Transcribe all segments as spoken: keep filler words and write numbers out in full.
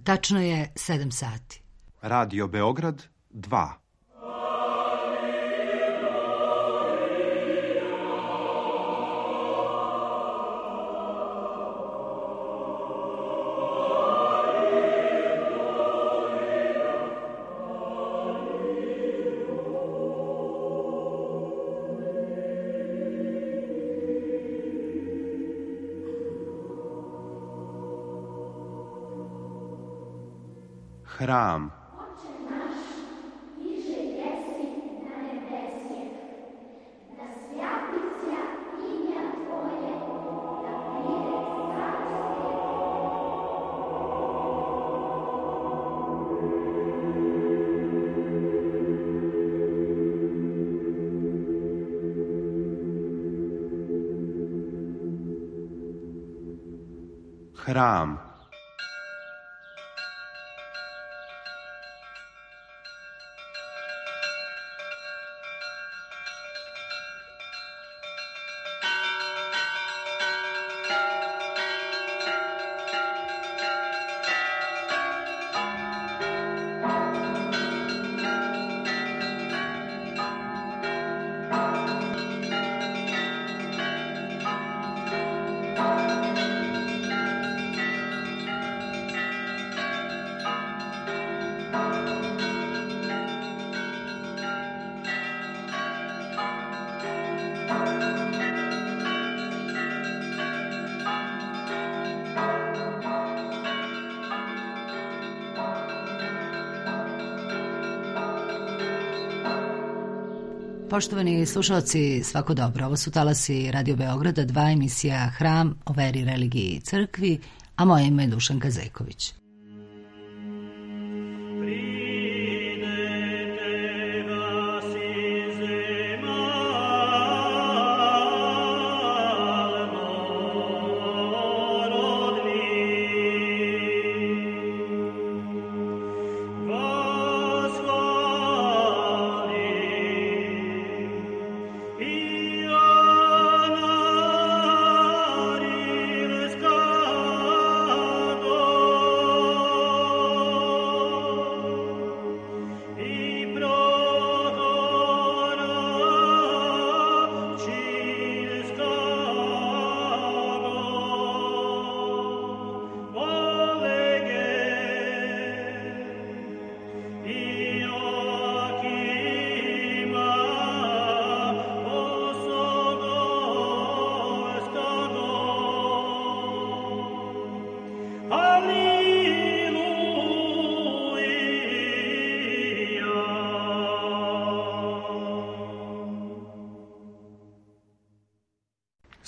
Tačno je sedam sati. Radio Beograd dva. Hram. Hram. Poštovani slušalci, svako dobro. Ovo su talasi Radio Beograda, dva, emisija Hram o veri, religiji i crkvi, a moje ime je Dušanka Zeković.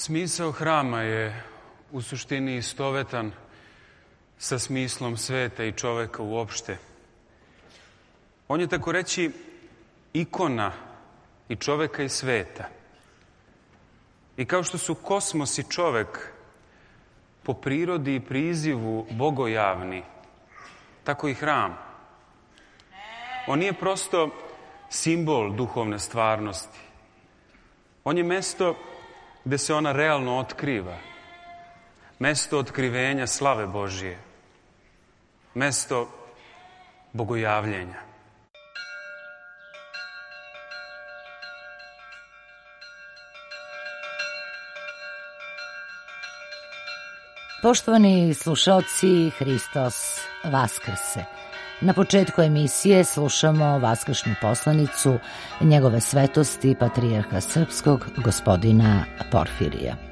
Smisao hrama je u suštini istovetan sa smislom sveta i čoveka uopšte. On je, tako reći, ikona i čoveka i sveta. I kao što su kosmos i čovek po prirodi i prizivu bogojavni, tako i hram. On nije prosto simbol duhovne stvarnosti. On je mesto gde se ona realno otkriva. Mesto otkrivenja slave Božije. Mesto bogojavljenja. Poštovani slušalci, Hristos Vaskrse. Na početku emisije slušamo vaskršnju poslanicu njegove svetosti patrijarha srpskog gospodina Porfirija. Smrti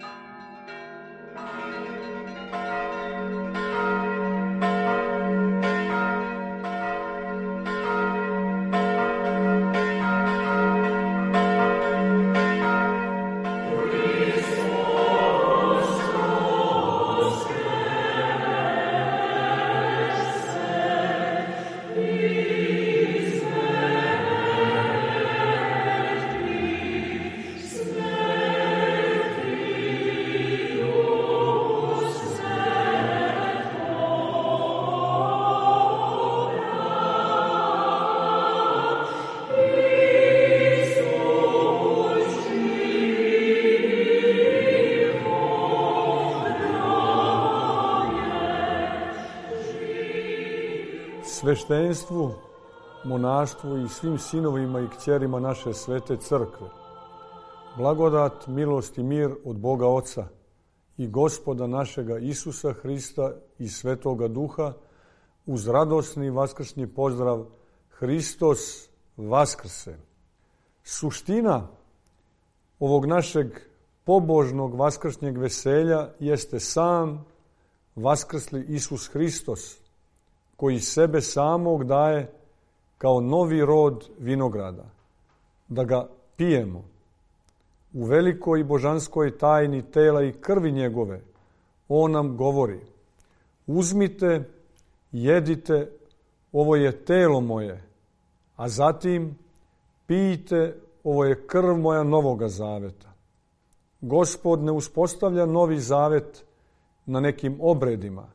sveštenstvu, monaštvu i svim sinovima i kćerima naše svete crkve. Blagodat, milost i mir od Boga Oca i Gospoda našega Isusa Hrista i Svetoga Duha uz radosni vaskršnji pozdrav Hristos Vaskrse. Suština ovog našeg pobožnog vaskršnjeg veselja jeste sam vaskrsli Isus Hristos, koji sebe samog daje kao novi rod vinograda, da ga pijemo. U velikoj i božanskoj tajni tela i krvi njegove on nam govori: uzmite, jedite, ovo je telo moje, a zatim pijte, ovo je krv moja novoga zaveta. Gospod ne uspostavlja novi zavet na nekim obredima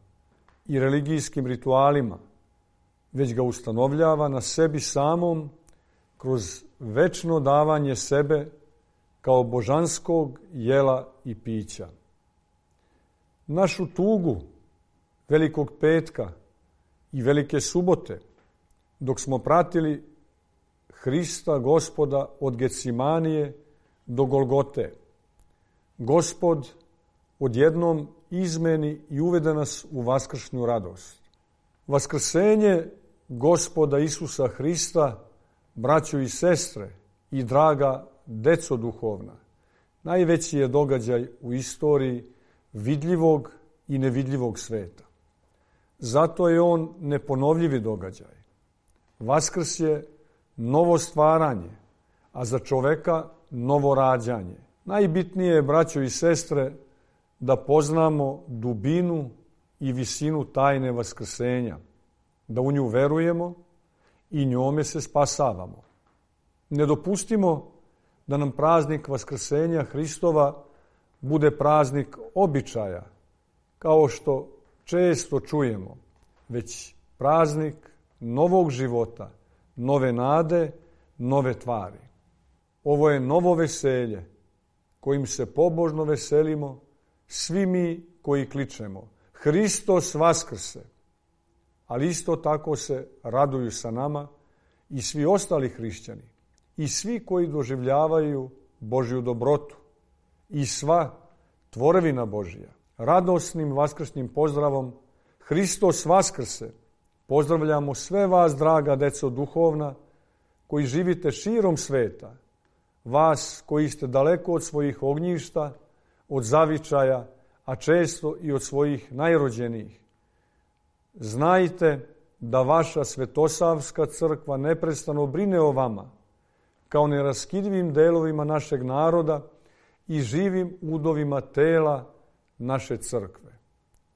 i religijskim ritualima, već ga ustanovljava na sebi samom kroz večno davanje sebe kao božanskog jela i pića. Našu tugu Velikog petka i Velike subote, dok smo pratili Hrista Gospoda od Gecimanije do Golgote, Gospod odjednom izmeni i uvede nas u vaskršnju radost. Vaskrsenje Gospoda Isusa Hrista, braćo i sestre i draga deco duhovna, najveći je događaj u istoriji vidljivog i nevidljivog sveta. Zato je on neponovljivi događaj. Vaskrs je novo stvaranje, a za čoveka novo rađanje. Najbitnije je, braćo i sestre, da poznamo dubinu i visinu tajne vaskrsenja, da u nju verujemo i njome se spasavamo. Ne dopustimo da nam praznik vaskrsenja Hristova bude praznik običaja, kao što često čujemo, već praznik novog života, nove nade, nove tvari. Ovo je novo veselje kojim se pobožno veselimo svi mi koji kličemo Hristos Vaskrse, ali isto tako se raduju sa nama i svi ostali hrišćani i svi koji doživljavaju Božju dobrotu i sva tvorevina Božja. Radosnim vaskršnjim pozdravom Hristos Vaskrse pozdravljamo sve vas, draga deco duhovna, koji živite širom sveta, vas koji ste daleko od svojih ognjišta, od zavičaja, a često i od svojih najrođenijih. Znajte da vaša Svetosavska crkva neprestano brine o vama, kao neraskidivim delovima našeg naroda i živim udovima tela naše crkve.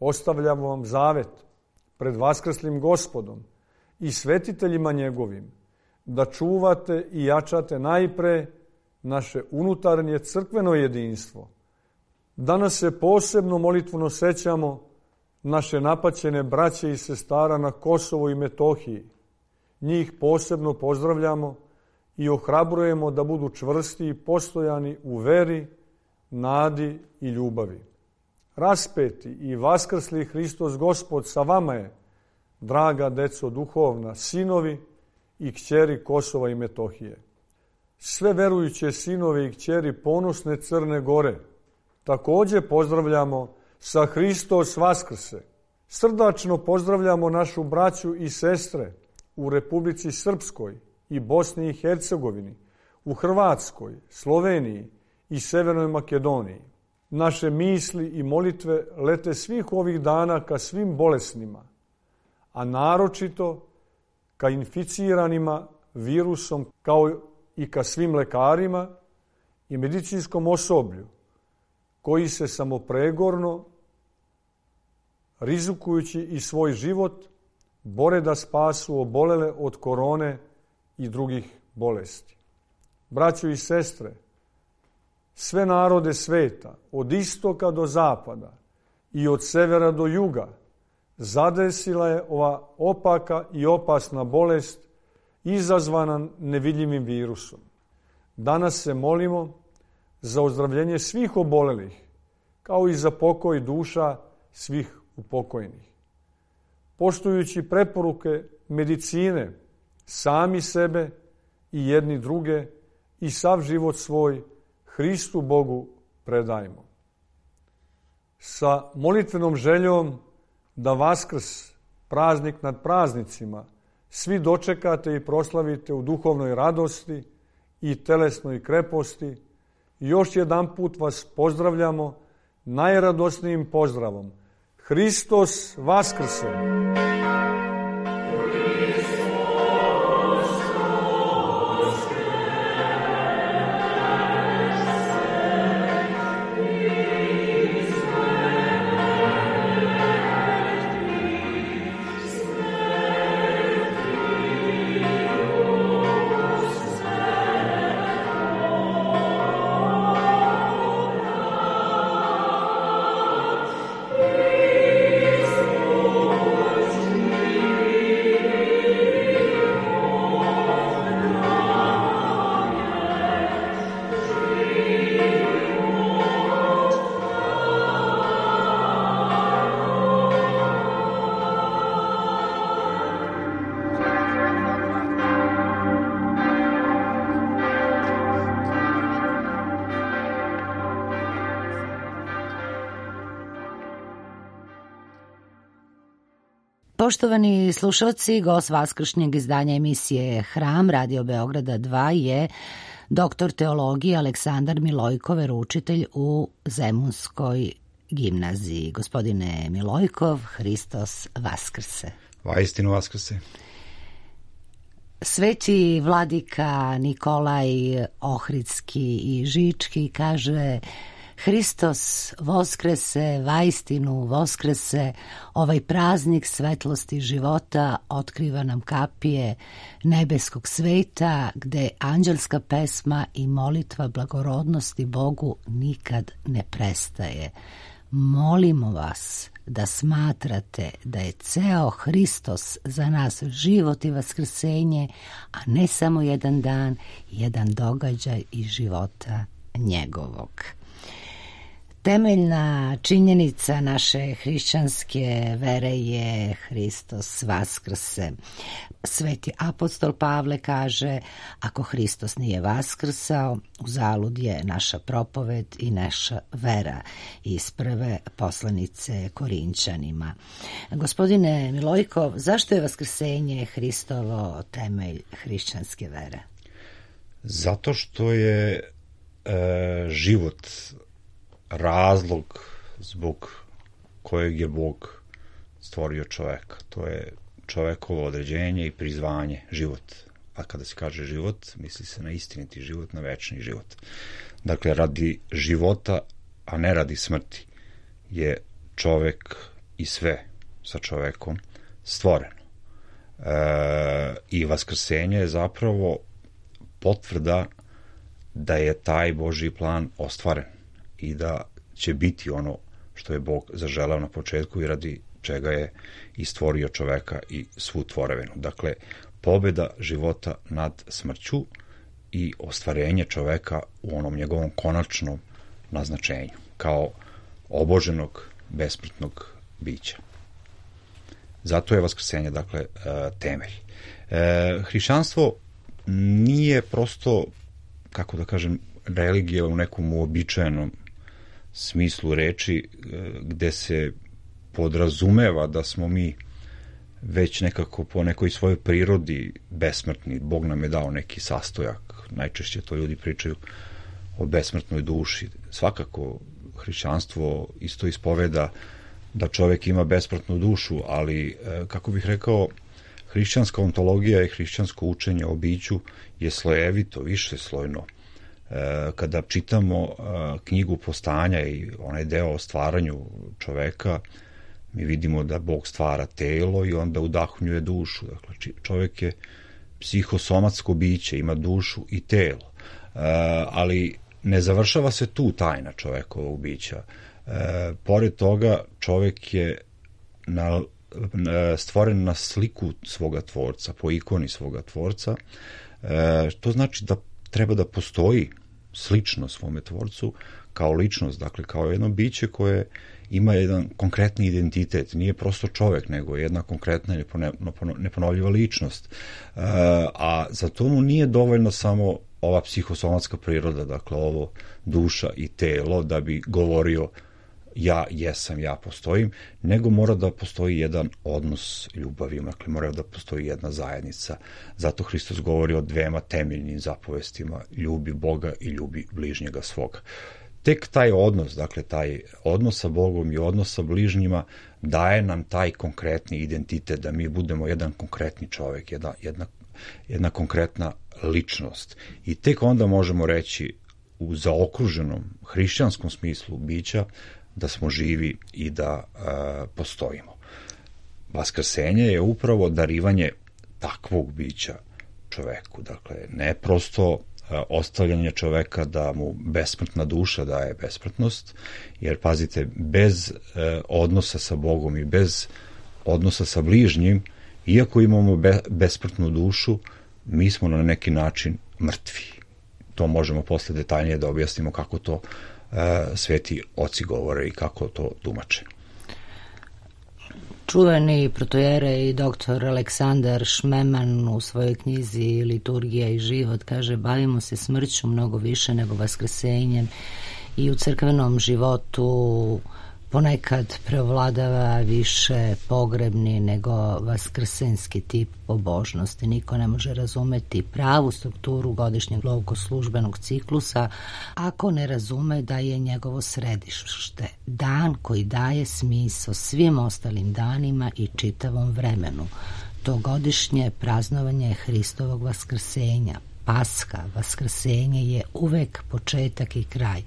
Ostavljamo vam zavet pred vaskrslim Gospodom i svetiteljima njegovim, da čuvate i jačate najpre naše unutarnje crkveno jedinstvo. Danas se posebno molitveno sećamo naše napaćene braće i sestara na Kosovu i Metohiji. Njih posebno pozdravljamo i ohrabrujemo da budu čvrsti i postojani u veri, nadi i ljubavi. Raspeti i vaskrsli Hristos Gospod sa vama je, draga deco duhovna, sinovi i kćeri Kosova i Metohije. Sve verujuće sinove i kćeri ponosne Crne Gore također pozdravljamo sa Hristos Vaskrse. Srdačno pozdravljamo našu braću i sestre u Republici Srpskoj i Bosni i Hercegovini, u Hrvatskoj, Sloveniji i Severnoj Makedoniji. Naše misli i molitve lete svih ovih dana ka svim bolesnima, a naročito ka inficiranima virusom, kao i ka svim lekarima i medicinskom osoblju, koji se samopregorno, rizikujući i svoj život, bore da spasu obolele od korone i drugih bolesti. Braćo i sestre, sve narode sveta, od istoka do zapada i od severa do juga, zadesila je ova opaka i opasna bolest izazvana nevidljivim virusom. Danas se molimo za ozdravljenje svih obolelih, kao i za pokoj duša svih upokojnih. Poštujući preporuke medicine, sami sebe i jedni druge i sav život svoj Hristu Bogu predajmo. Sa molitvenom željom da Vaskrs, praznik nad praznicima, svi dočekate i proslavite u duhovnoj radosti i telesnoj kreposti, još jedan put vas pozdravljamo najradosnijim pozdravom. Hristos Vaskrse! Poštovani slušalci, gost vaskršnjeg izdanja emisije Hram Radio Beograda dva je doktor teologije Aleksandar Milojkov, veroučitelj u Zemunskoj gimnaziji. Gospodine Milojkov, Hristos Vaskrse! Vaistinu Vaskrse! Sveti vladika Nikolaj Ohridski i Žički kaže: Hristos Voskrese, vaistinu Voskrese, ovaj praznik svetlosti života otkriva nam kapije nebeskog sveta, gde anđelska pesma i molitva blagorodnosti Bogu nikad ne prestaje. Molimo vas da smatrate da je ceo Hristos za nas život i vaskrsenje, a ne samo jedan dan, jedan događaj iz života njegovog. Temeljna činjenica naše hrišćanske vere je Hristos Vaskrse. Sveti apostol Pavle kaže: ako Hristos nije vaskrsao, uzalud je naša propoved i naša vera, iz prve poslanice Korinćanima. Gospodine Milojkov, zašto je vaskrsenje Hristovo temelj hrišćanske vere? Zato što je e, život razlog zbog kojeg je Bog stvorio čoveka. To je čovekovo određenje i prizvanje, život. A kada se kaže život, misli se na istiniti život, na večni život. Dakle, radi života, a ne radi smrti, je čovek i sve sa čovekom stvoreno. E, I vaskrsenje je zapravo potvrda da je taj Božji plan ostvaren i da će biti ono što je Bog zaželao na početku i radi čega je i stvorio čoveka i svu tvorevinu. Dakle, pobeda života nad smrću i ostvarenje čoveka u onom njegovom konačnom naznačenju, kao oboženog, besmrtnog bića. Zato je vaskrsenje, dakle, temelj. Hrišćanstvo nije prosto, kako da kažem, religija u nekom uobičajenom smislu reči, gde se podrazumeva da smo mi već nekako po nekoj svojoj prirodi besmrtni. Bog nam je dao neki sastojak. Najčešće to ljudi pričaju o besmrtnoj duši. Svakako, hrišćanstvo isto ispoveda da čovek ima besmrtnu dušu, ali, kako bih rekao, hrišćanska ontologija i hrišćansko učenje o biću je slojevito, višeslojno. Kada čitamo knjigu Postanja i onaj deo o stvaranju čoveka, mi vidimo da Bog stvara telo i onda udahnjuje dušu. Dakle, čovek je psihosomatsko biće, ima dušu i telo. Ali ne završava se tu tajna čovekovog bića. Pored toga, čovek je na, stvoren na sliku svoga tvorca, po ikoni svoga tvorca. To znači da treba da postoji slično svome tvorcu kao ličnost, dakle kao jedno biće koje ima jedan konkretni identitet, nije prosto čovek, nego jedna konkretna neponovljiva ličnost. A za to mu nije dovoljno samo ova psihosomatska priroda, dakle ovo duša i telo, da bi govorio ja jesam, ja postojim, nego mora da postoji jedan odnos ljubavi, dakle mora da postoji jedna zajednica. Zato Hristos govori o dvema temeljnim zapovestima, ljubi Boga i ljubi bližnjega svoga. Tek taj odnos, dakle taj odnos sa Bogom i odnos sa bližnjima daje nam taj konkretni identitet, da mi budemo jedan konkretni čovek, jedna, jedna, jedna konkretna ličnost. I tek onda možemo reći u zaokruženom hrišćanskom smislu bića da smo živi i da e, postojimo. Vaskrsenje je upravo darivanje takvog bića čoveku, dakle ne prosto e, ostavljanje čoveka da mu besmrtna duša daje besmrtnost, jer pazite, bez e, odnosa sa Bogom i bez odnosa sa bližnjim, iako imamo be, besmrtnu dušu, mi smo na neki način mrtvi. To možemo posle detaljnije da objasnimo kako to sveti oci govore i kako to tumače. Čuveni protojere i doktor Aleksandar Šmeman u svojoj knjizi Liturgija i život kaže: bavimo se smrću mnogo više nego vaskrsenjem i u crkvenom životu ponekad preovladava više pogrebni nego vaskrsenski tip pobožnosti. Niko ne može razumeti pravu strukturu godišnjeg bogoslužbenog ciklusa ako ne razume da je njegovo središte dan koji daje smisao svim ostalim danima i čitavom vremenu. To godišnje praznovanje Hristovog vaskrsenja, Paska, vaskrsenje je uvek početak i kraj.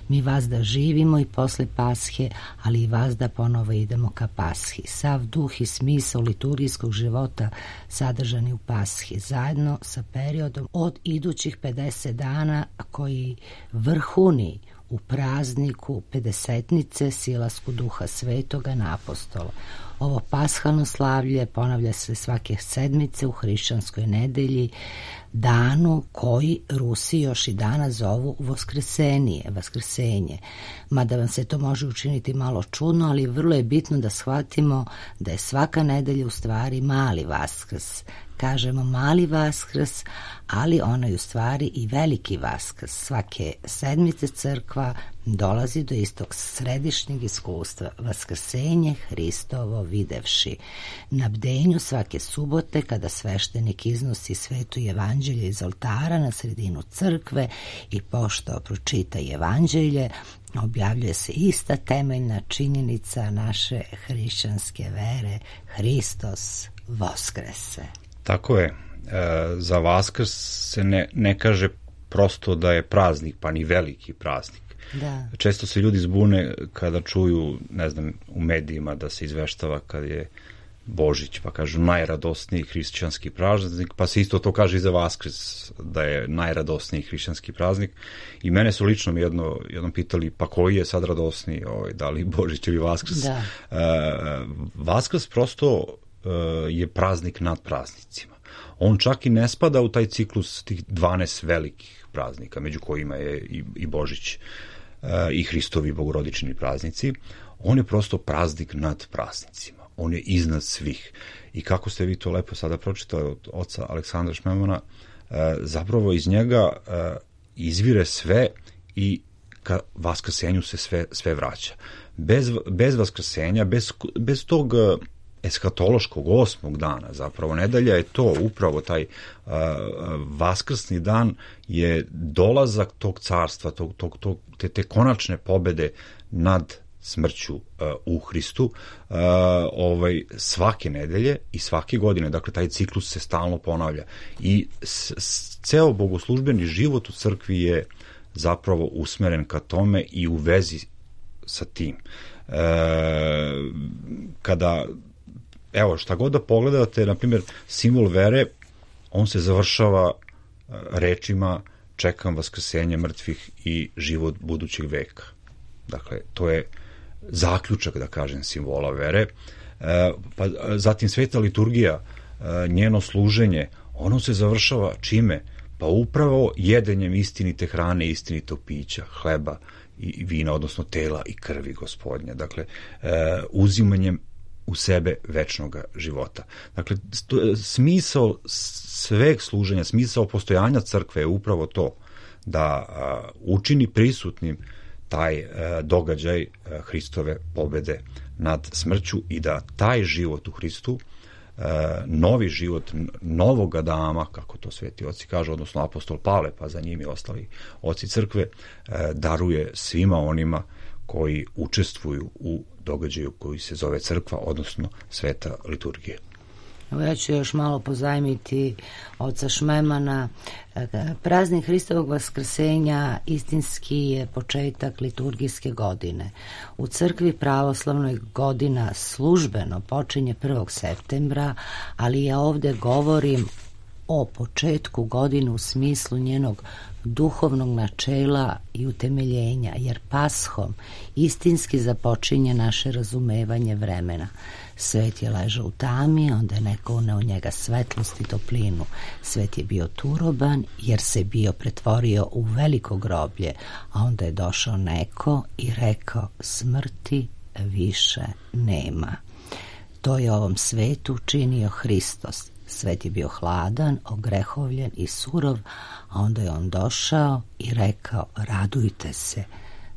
Mi vas da živimo i posle Pashe, ali i vas da ponovo idemo ka Pashi. Sav duh i smisao liturgijskog života sadržani u Pashi, zajedno sa periodom od idućih pedeset dana koji vrhuni u prazniku pedesetnice silasku Duha Svetoga na apostola. Ovo pashalno slavlje ponavlja se svake sedmice u hrišćanskoj nedelji, danu koji Rusi još i danas zovu Voskresenije, Vaskrsenje. Mada vam se to može učiniti malo čudno, ali vrlo je bitno da shvatimo da je svaka nedelja u stvari mali Vaskrs. Kažemo mali Vaskrs, ali ono je u stvari i veliki Vaskrs. Svake sedmice crkva dolazi do istog središnjeg iskustva, vaskrsenje Hristovo videvši. Na bdenju svake subote, kada sveštenik iznosi sveto evanđelje iz oltara na sredinu crkve i pošto pročita evanđelje, objavljuje se ista temeljna činjenica naše hrišćanske vere: Hristos Voskrese. Tako je. E, za Vaskrs se ne, ne kaže prosto da je praznik, pa ni veliki praznik. Da. Često se ljudi zbune kada čuju, ne znam, u medijima da se izveštava kad je Božić, pa kažu najradosniji hrišćanski praznik, pa se isto to kaže i za Vaskrs, da je najradosniji hrišćanski praznik. I mene su lično mi jedno, jednom pitali, pa koji je sad radosniji, ovaj, da li Božić ili Vaskrs? Da. E, Vaskrs prosto e, je praznik nad praznicima. On čak i ne spada u taj ciklus tih dvanaest velikih praznika, među kojima je i, i Božić e, i Hristovi bogorodični praznici. On je prosto praznik nad praznicima. On je iznad svih. I kako ste vi to lepo sada pročitali od oca Aleksandra Šmemana, e, zapravo iz njega e, izvire sve i ka vaskrsenju se sve, sve vraća. Bez, bez vaskrsenja, bez, bez tog eskatološkog osmog dana, zapravo nedelja je to, upravo taj uh, vaskrsni dan je dolazak tog carstva, tog, tog, tog, te, te konačne pobede nad smrću uh, u Hristu uh, ovaj, svake nedelje i svake godine, dakle taj ciklus se stalno ponavlja i s, s, ceo bogoslužbeni život u crkvi je zapravo usmeren ka tome i u vezi sa tim. Uh, kada Evo, šta god da pogledate, na primjer, simbol vere, on se završava rečima čekam vaskrsenje mrtvih i život budućeg veka. Dakle, to je zaključak, da kažem, simbola vere. E, pa, zatim sveta liturgija, e, njeno služenje, ono se završava čime? Pa upravo jedenjem istinite hrane, istinitog pića, hleba i vina, odnosno tela i krvi Gospodnja. Dakle, e, uzimanjem u sebe večnog života. Dakle, smisao sveg služenja, smisao postojanja crkve je upravo to, da a, učini prisutnim taj a, događaj a, Hristove pobede nad smrću i da taj život u Hristu, a, novi život novog Adama, kako to sveti oci kažu, odnosno apostol Pavle, pa za njim i ostali oci crkve, a, daruje svima onima koji učestvuju u događaju koji se zove crkva, odnosno sveta liturgija. Evo ja ću još malo pozajmiti oca Šmemana. Praznik Hristovog vaskrsenja istinski je početak liturgijske godine. U crkvi pravoslavnoj godina službeno počinje prvog septembra, ali ja ovde govorim o početku godine u smislu njenog duhovnog načela i utemeljenja, jer Paschom istinski započinje naše razumevanje vremena. Svet je ležao u tami, onda je neko uneo njega svetlost i toplinu. Svet je bio turoban, jer se bio pretvorio u veliko groblje, a onda je došao neko i rekao, smrti više nema. To je ovom svetu činio Hristos. Svet je bio hladan, ogrehovljen i surov, a onda je on došao i rekao, radujte se.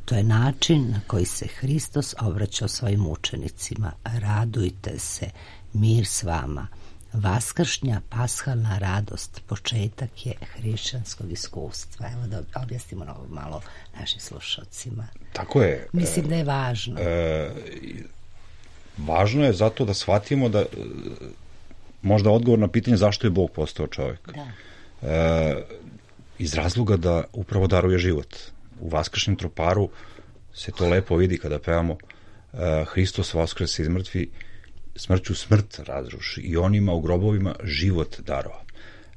To je način na koji se Hristos obraćao svojim učenicima. Radujte se, mir s vama. Vaskršnja pashalna radost početak je hrišćanskog iskustva. Evo da objasnimo ovo malo našim slušalcima. Tako je. Mislim da je važno. E, važno je zato da shvatimo da možda odgovor na pitanje zašto je Bog postao čovjek. Da. E, iz razloga da upravo daruje život. U vaskršnjem troparu se to lepo vidi kada pevamo e, Hristos vaskrse iz mrtvi, smrću smrt razruši i onima u grobovima život darova.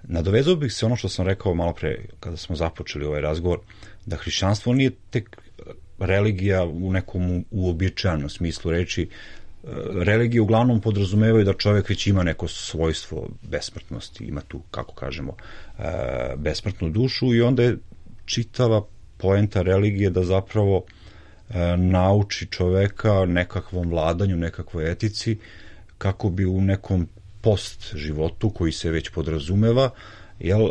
Nadovezao bih se ono što sam rekao malo pre kada smo započeli ovaj razgovor, da hrišćanstvo nije tek religija u nekom uobičajenom smislu reči. Religije uglavnom podrazumevaju da čovjek već ima neko svojstvo besmrtnosti, ima tu, kako kažemo, besmrtnu dušu i onda je čitava poenta religije da zapravo nauči čoveka nekakvom vladanju, nekakvoj etici, kako bi u nekom post životu koji se već podrazumeva, jel,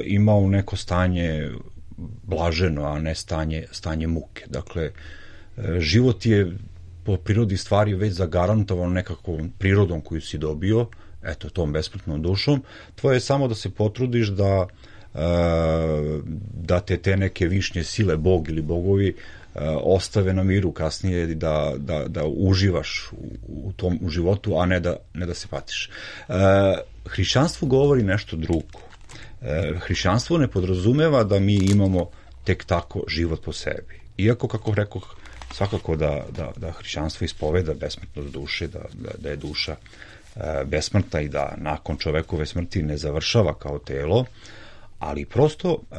imao neko stanje blaženo, a ne stanje, stanje muke. Dakle, život je po prirodi stvari već zagarantovan nekakvom prirodom koju si dobio, eto, tom besmrtnom dušom. Tvoje je samo da se potrudiš da, da te te neke višnje sile, Bog ili bogovi, ostave na miru kasnije, da, da, da uživaš u, u tom u životu, a ne da, ne da se patiš. Hrišćanstvo govori nešto drugo. Hrišćanstvo ne podrazumeva da mi imamo tek tako život po sebi. Iako, kako rekoh, svakako da, da, da hrišćanstvo ispoveda besmrtnost duše, da, da, da je duša e, besmrtna i da nakon čovekove smrti ne završava kao telo, ali prosto e,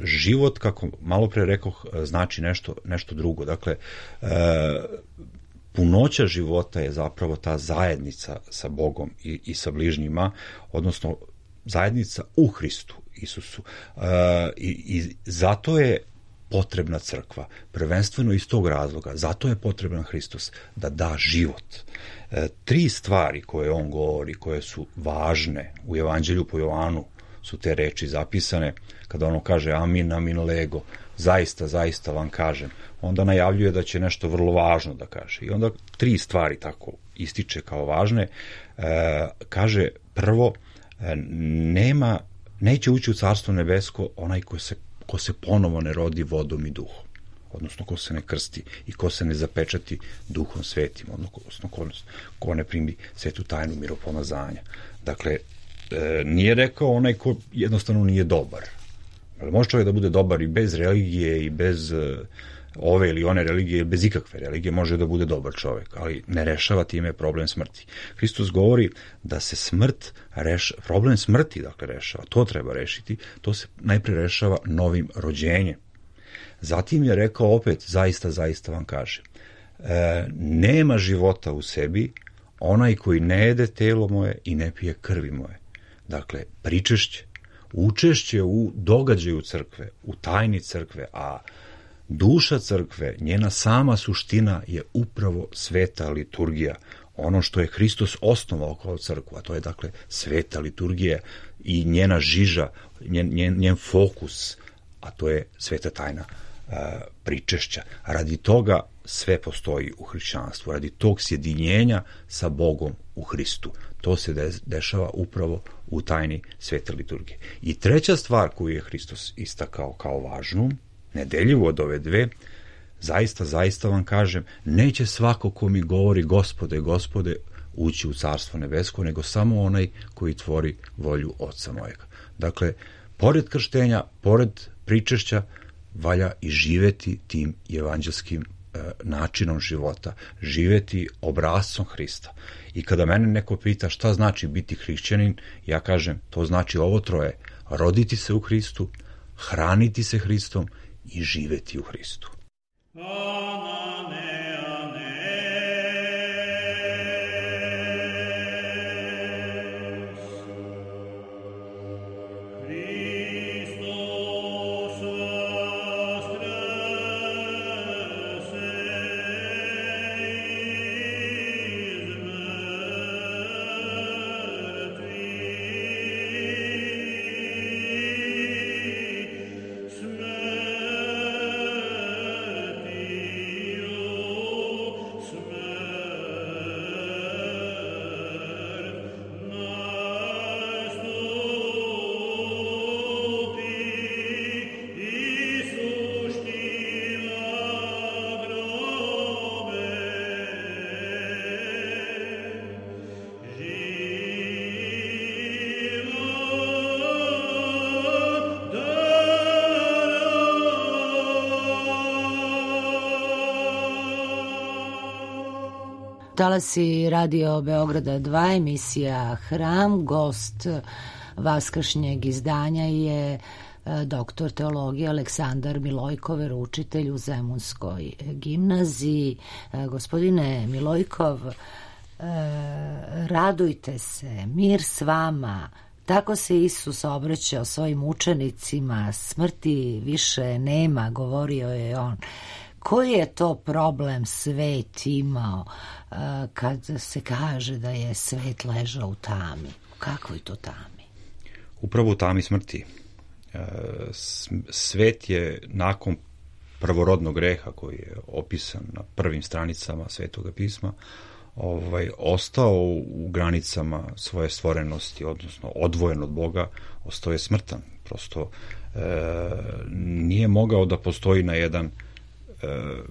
život, kako malo pre rekoh, znači nešto, nešto drugo. Dakle, e, punoća života je zapravo ta zajednica sa Bogom i, i sa bližnjima, odnosno zajednica u Hristu Isusu. E, i, I zato je potrebna crkva, prvenstveno iz tog razloga, zato je potreban Hristos, da da život. E, tri stvari koje on govori, koje su važne u Evanđelju po Jovanu, su te reči zapisane, kada ono kaže amin, amin lego, zaista, zaista vam kažem, onda najavljuje da će nešto vrlo važno da kaže. I onda tri stvari tako ističe kao važne. E, kaže, prvo, e, nema, neće ući u Carstvo nebesko onaj ko se ko se ponovo ne rodi vodom i duhom, odnosno ko se ne krsti i ko se ne zapečati duhom svetim, odnosno ko, ko ne primi svetu tajnu miropomazanja. Dakle, e, nije rekao onaj ko jednostavno nije dobar. Može čovjek da bude dobar i bez religije i bez e, ove ili one religije, bez ikakve religije može da bude dobar čovjek, ali ne rešava time problem smrti. Hristos govori da se smrt rešava, problem smrti dakle rešava, to treba rešiti, to se najpre rešava novim rođenjem. Zatim je rekao opet, zaista, zaista vam kažem, e, nema života u sebi onaj koji ne jede telo moje i ne pije krvi moje. Dakle, pričešće, učešće u događaju crkve, u tajni crkve, a Duša crkve, njena sama suština je upravo sveta liturgija. Ono što je Hristos osnovao kao crkvu, a to je dakle sveta liturgija i njena žiža, njen, njen, njen fokus, a to je sveta tajna a, pričešća. Radi toga sve postoji u hrišćanstvu, radi tog sjedinjenja sa Bogom u Hristu. To se de, dešava upravo u tajni svete liturgije. I treća stvar koju je Hristos istakao kao važnu, nedeljivo od ove dve, zaista, zaista vam kažem, neće svako ko mi govori Gospode, Gospode, ući u Carstvo nebesko, nego samo onaj koji tvori volju Oca mojega. Dakle, pored krštenja, pored pričešća, valja i živeti tim evanđelskim e, načinom života, živeti obrazcom Hrista. I kada mene neko pita šta znači biti hrišćanin, ja kažem, to znači ovo troje, roditi se u Hristu, hraniti se Hristom i živeti u Hristu. Talasi Radio Beograda dva, emisija Hram. Gost vaskršnjeg izdanja je doktor teologije Aleksandar Milojkov, veroučitelj u Zemunskoj gimnaziji. Gospodine Milojkov, radujte se, mir s vama. Tako se Isus obraćao svojim učenicima, smrti više nema, govorio je on. Koji je to problem svet imao uh, kad se kaže da je svet ležao u tami? Kakvoj to tami? Upravo u tami smrti. Uh, svet je nakon prvorodnog greha koji je opisan na prvim stranicama Svetoga pisma, ovaj, ostao u granicama svoje stvorenosti, odnosno odvojen od Boga, ostao je smrtan. Prosto uh, nije mogao da postoji na jedan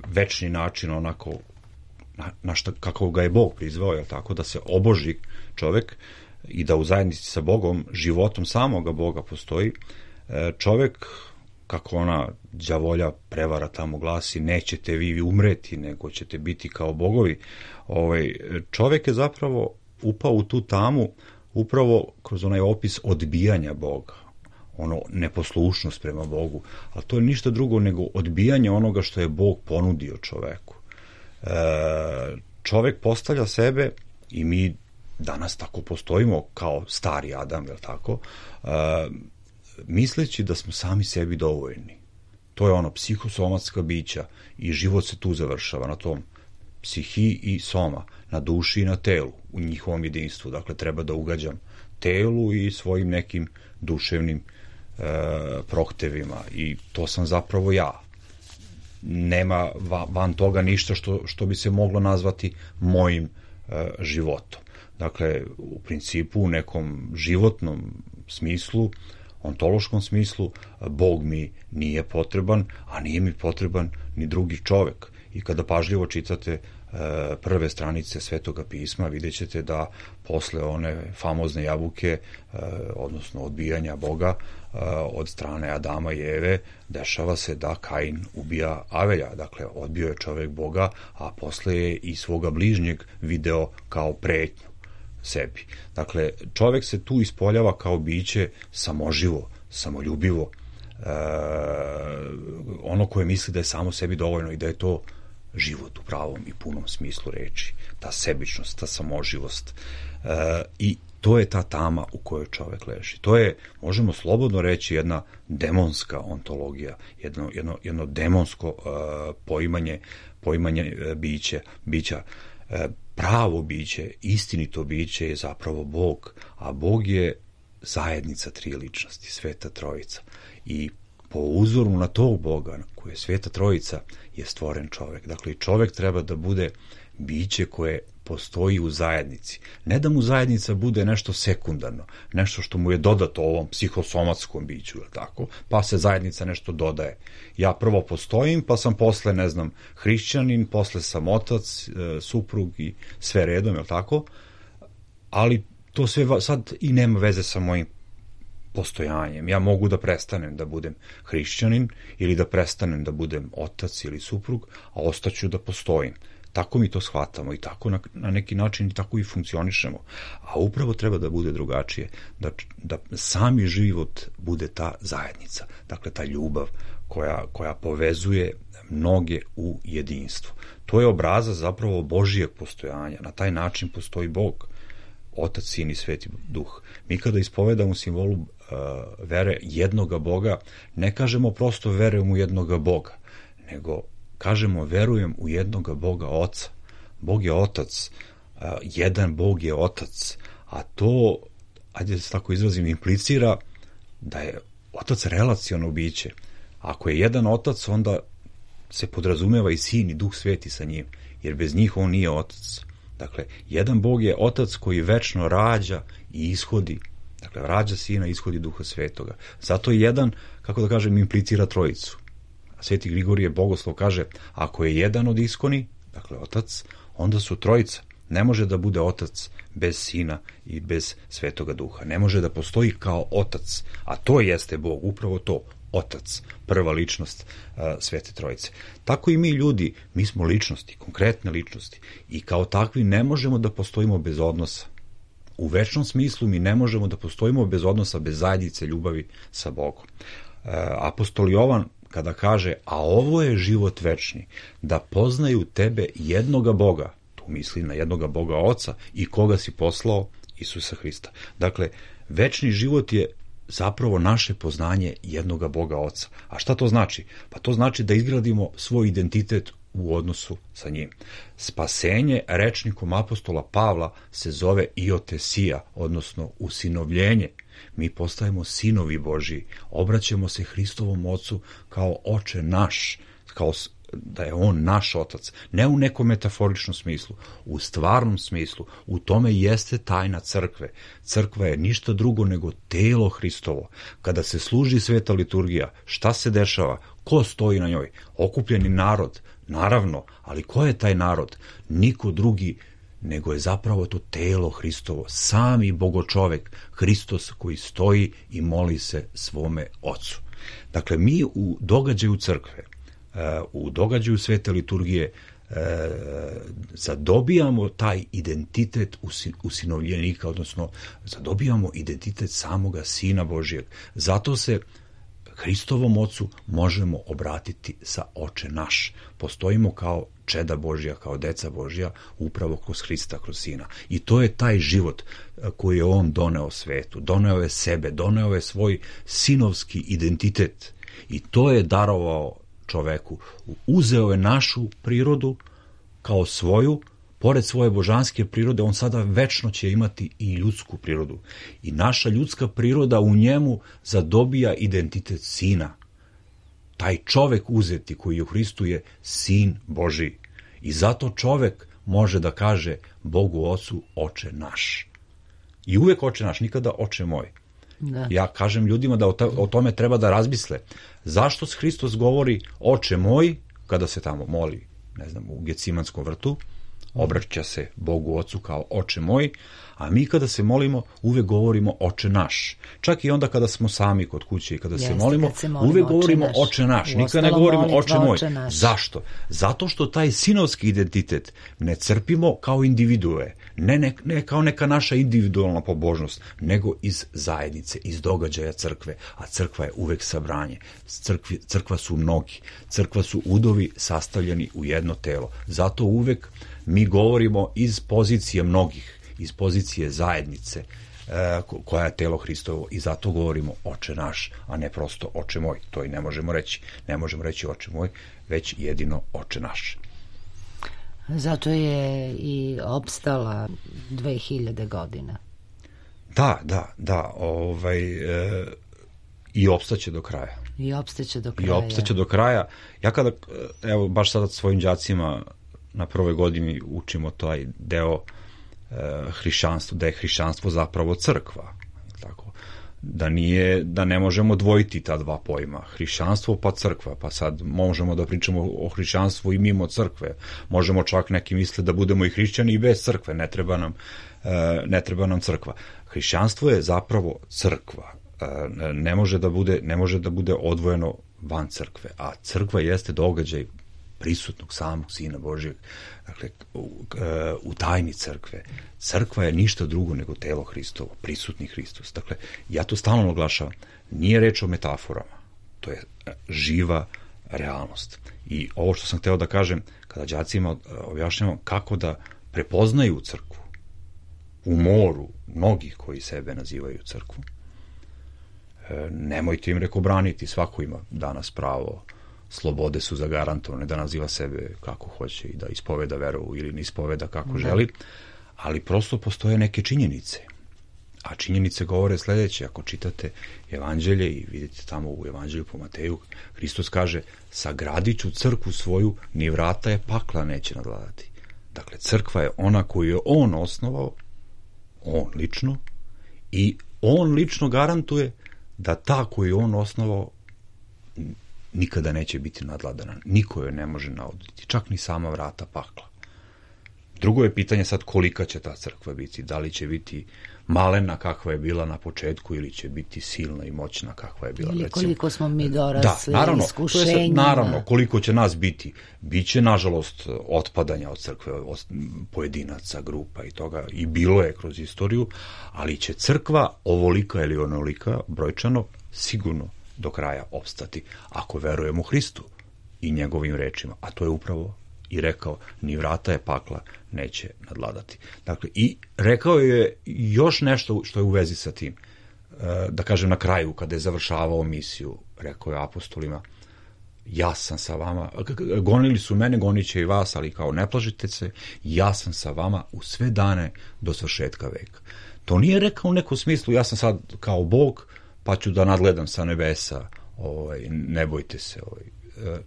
večni način onako na, na šta, kako ga je Bog prizvao, je tako, da se oboži čovek i da u zajednici sa Bogom, životom samoga Boga postoji. Čovek, kako ona đavolja prevara tamo glasi, nećete vi umreti, nego ćete biti kao bogovi. Ovaj, čovek je zapravo upao u tu tamu upravo kroz onaj opis odbijanja Boga, ono neposlušnost prema Bogu, ali to je ništa drugo nego odbijanje onoga što je Bog ponudio čoveku. E, čovek postavlja sebe i mi danas tako postojimo kao stari Adam, je li tako, e, misleći da smo sami sebi dovoljni. To je ono psihosomatska bića i život se tu završava na tom psihi i soma, na duši i na telu, u njihovom jedinstvu. Dakle, treba da ugađam telu i svojim nekim duševnim e, prohtevima i to sam zapravo ja. Nema va, van toga ništa što, što bi se moglo nazvati mojim e, životom. Dakle, u principu u nekom životnom smislu, ontološkom smislu, Bog mi nije potreban, a nije mi potreban ni drugi čovek. I kada pažljivo čitate prve stranice Svetoga pisma, vidjet ćete da posle one famozne jabuke, odnosno odbijanja Boga od strane Adama i Eve, dešava se da Kain ubija Avelja. Dakle, odbio je čovek Boga, a posle je i svoga bližnjeg video kao pretnju sebi. Dakle, čovek se tu ispoljava kao biće samoživo, samoljubivo, e, ono koje misli da je samo sebi dovoljno i da je to život u pravom i punom smislu reči, ta sebičnost, ta samoživost. E, I to je ta tama u kojoj čovek leži. To je, možemo slobodno reći, jedna demonska ontologija, jedno, jedno, jedno demonsko uh, poimanje, poimanje uh, biće, bića. Uh, pravo biće, istinito biće je zapravo Bog, a Bog je zajednica tri ličnosti, Sveta Trojica. I po uzoru na tog Boga, koji je Sveta Trojica, je stvoren čovek. Dakle, i čovek treba da bude biće koje postoji u zajednici. Ne da mu zajednica bude nešto sekundarno, nešto što mu je dodato ovom psihosomatskom biću, ili tako, pa se zajednica nešto dodaje. Ja prvo postojim, pa sam posle, ne znam, hrišćanin, posle sam otac, suprug i sve redom, ili tako, ali to sve sad i nema veze sa mojim postojanjem. Ja mogu da prestanem da budem hrišćanin ili da prestanem da budem otac ili suprug, a ostaću da postojim. Tako mi to shvatamo i tako na, na neki način tako i funkcionišemo. A upravo treba da bude drugačije, da, da sami život bude ta zajednica, dakle ta ljubav koja, koja povezuje mnoge u jedinstvo. To je obrazac zapravo Božijeg postojanja. Na taj način postoji Bog, Otac, Sin i Sveti Duh. Mi kada ispovedamo simbolu uh, vere jednoga Boga, ne kažemo prosto verujem u jednoga Boga, nego kažemo verujem u jednoga Boga Oca. Bog je Otac, uh, jedan Bog je Otac, a to, ajde da se tako izrazim, implicira da je Otac relaciono biće. Ako je jedan Otac, onda se podrazumeva i Sin i Duh Sveti sa njim, jer bez njih on nije Otac. Dakle, jedan Bog je Otac koji večno rađa i ishodi, dakle, rađa Sina i ishodi Duha Svetoga. Zato je jedan, kako da kažem, implicira trojicu. A Sveti Grigorije Bogoslov kaže, ako je jedan od iskoni, dakle, Otac, onda su trojica. Ne može da bude Otac bez Sina i bez Svetoga Duha. Ne može da postoji kao Otac, a to jeste Bog, upravo to, Otac, prva ličnost uh, Svete Trojice. Tako i mi ljudi, mi smo ličnosti, konkretne ličnosti i kao takvi ne možemo da postojimo bez odnosa. U večnom smislu mi ne možemo da postojimo bez odnosa, bez zajednice ljubavi sa Bogom. Uh, apostol Jovan kada kaže, a ovo je život večni, da poznaju tebe jednoga Boga, tu misli na jednoga Boga Oca i koga si poslao, Isusa Hrista. Dakle, večni život je zapravo naše poznanje jednoga Boga Oca. A šta to znači? Pa to znači da izgradimo svoj identitet u odnosu sa njim. Spasenje rečnikom apostola Pavla se zove iotesija, odnosno usinovljenje. Mi postajemo sinovi Božiji, obraćamo se Hristovom Ocu kao Oče naš, kao da je on naš Otac, ne u nekom metaforičnom smislu, u stvarnom smislu. U tome jeste tajna crkve. Crkva je ništa drugo nego telo Hristovo. Kada se služi sveta liturgija, šta se dešava? Ko stoji na njoj? Okupljeni narod, naravno, ali ko je taj narod? Niko drugi nego je zapravo to telo Hristovo, sami Bogočovek, Hristos koji stoji i moli se svome Ocu. Dakle, mi u događaju crkve, u događaju svete liturgije zadobijamo taj identitet usinovljenika, odnosno zadobijamo identitet samoga Sina Božijeg. Zato se Hristovom Ocu možemo obratiti sa Oče naš. Postojimo kao čeda Božja, kao deca Božja, upravo kroz Hrista, kroz Sina. I to je taj život koji je on doneo svetu. Doneo je sebe, doneo je svoj sinovski identitet. I to je darovao čoveku. Uzeo je našu prirodu kao svoju, pored svoje božanske prirode, on sada večno će imati i ljudsku prirodu. I naša ljudska priroda u njemu zadobija identitet Sina. Taj čovek uzeti koji je u Hristu je Sin Božiji. I zato čovek može da kaže Bogu Ocu Oče naš. I uvek Oče naš, nikada Oče moj. Da. Ja kažem ljudima da o tome treba da razmisle. Zašto Hristos govori Oče moj kada se tamo moli, ne znam, u Gecimanskom vrtu, obraća se Bogu Ocu kao Oče moj, a mi kada se molimo uvek govorimo Oče naš. Čak i onda kada smo sami kod kuće i kada Jeste, se molimo, se molimo uvek govorimo Oče naš. Oče naš. Nikada ne govorimo Oče moj. Oče Zašto? Zato što taj sinovski identitet ne crpimo kao individue, ne, ne, ne kao neka naša individualna pobožnost, nego iz zajednice, iz događaja crkve, a crkva je uvek sabranje. Crkvi, crkva su mnogi, crkva su udovi sastavljeni u jedno telo. Zato uvek mi govorimo iz pozicije mnogih, iz pozicije zajednice, koja je telo Hristovo, i zato govorimo Oče naš, a ne prosto Oče moj. To i ne možemo reći. Ne možemo reći Oče moj, već jedino Oče naš. Zato je i opstala dve hiljade godina. Da, da, da. Ovaj, e, I opstaće do kraja. I opstaće do kraja. I opstaće do kraja. Ja kada, evo, baš sada svojim đacima na prvoj godini učimo taj deo e, hrišćanstva, da je hrišćanstvo zapravo crkva. Tako. Da nije, da ne možemo dvojiti ta dva pojma. Hrišćanstvo pa crkva. Pa sad možemo da pričamo o hrišćanstvu i mimo crkve. Možemo čak neki misle da budemo i hrišćani i bez crkve. Ne treba nam, e, ne treba nam crkva. Hrišćanstvo je zapravo crkva. Ne može da bude, ne može da bude odvojeno van crkve, a crkva jeste događaj prisutnog samog Sina Božijeg, dakle, u, u tajni crkve. Crkva je ništa drugo nego telo Hristovo, prisutni Hristos. Dakle, ja to stalno naglašavam, nije reč o metaforama, to je živa realnost. I ovo što sam hteo da kažem, kada đacima objašnjavam kako da prepoznaju crkvu u moru mnogih koji sebe nazivaju crkvu, nemojte im reko braniti, svako ima danas pravo, slobode su zagarantovane da naziva sebe kako hoće i da ispoveda veru ili ne ispoveda kako želi, ali prosto postoje neke činjenice. A činjenice govore sledeće, ako čitate evanđelje i vidite tamo u evanđelju po Mateju, Hristos kaže, sagradit ću crkvu svoju, ni vrata je pakla neće nadvladati. Dakle, crkva je ona koju je on osnovao, on lično, i on lično garantuje da ta koju je on osnovao nikada neće biti nadvladana. Niko joj ne može nauditi, čak ni sama vrata pakla. Drugo je pitanje sad kolika će ta crkva biti, da li će biti malena kakva je bila na početku ili će biti silna i moćna kakva je bila. Ili recimo, koliko smo mi dorasli, da, naravno, iskušenjima. Naravno, koliko će nas biti. Biće, nažalost, otpadanja od crkve, od pojedinaca, grupa i toga, i bilo je kroz istoriju, ali će crkva ovolika ili onolika brojčano sigurno do kraja opstati, ako verujemo Hristu i njegovim rečima, a to je upravo i rekao, ni vrata je pakla neće nadvladati. Dakle, i rekao je još nešto što je u vezi sa tim. Da kažem, na kraju, kada je završavao misiju, rekao je apostolima, ja sam sa vama, gonili su mene, gonit će i vas, ali kao ne plašite se, ja sam sa vama u sve dane do svršetka veka. To nije rekao u nekom smislu, ja sam sad kao Bog, pa ću da nadgledam sa nebesa, ovaj, ne bojte se, ovaj,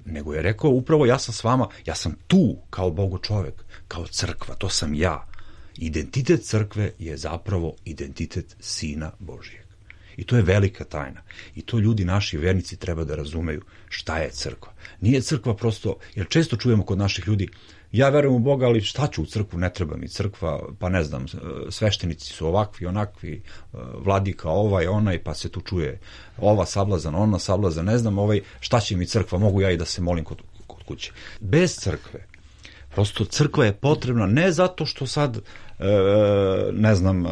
nego je rekao upravo ja sam s vama, ja sam tu kao Bogo čovek, kao crkva, to sam ja. Identitet crkve je zapravo identitet Sina Božijeg. I to je velika tajna. I to ljudi, naši vernici, treba da razumeju šta je crkva. Nije crkva prosto, jer često čujemo kod naših ljudi, ja verujem u Boga, ali šta ću u crkvu, ne treba mi crkva, pa ne znam, sveštenici su ovakvi, onakvi, vladika ovaj, onaj, pa se tu čuje ova sablazan, ona sablazan, ne znam, ovaj, šta će mi crkva, mogu ja i da se molim kod, kod kuće. Bez crkve, prosto crkva je potrebna ne zato što sad, e, ne znam,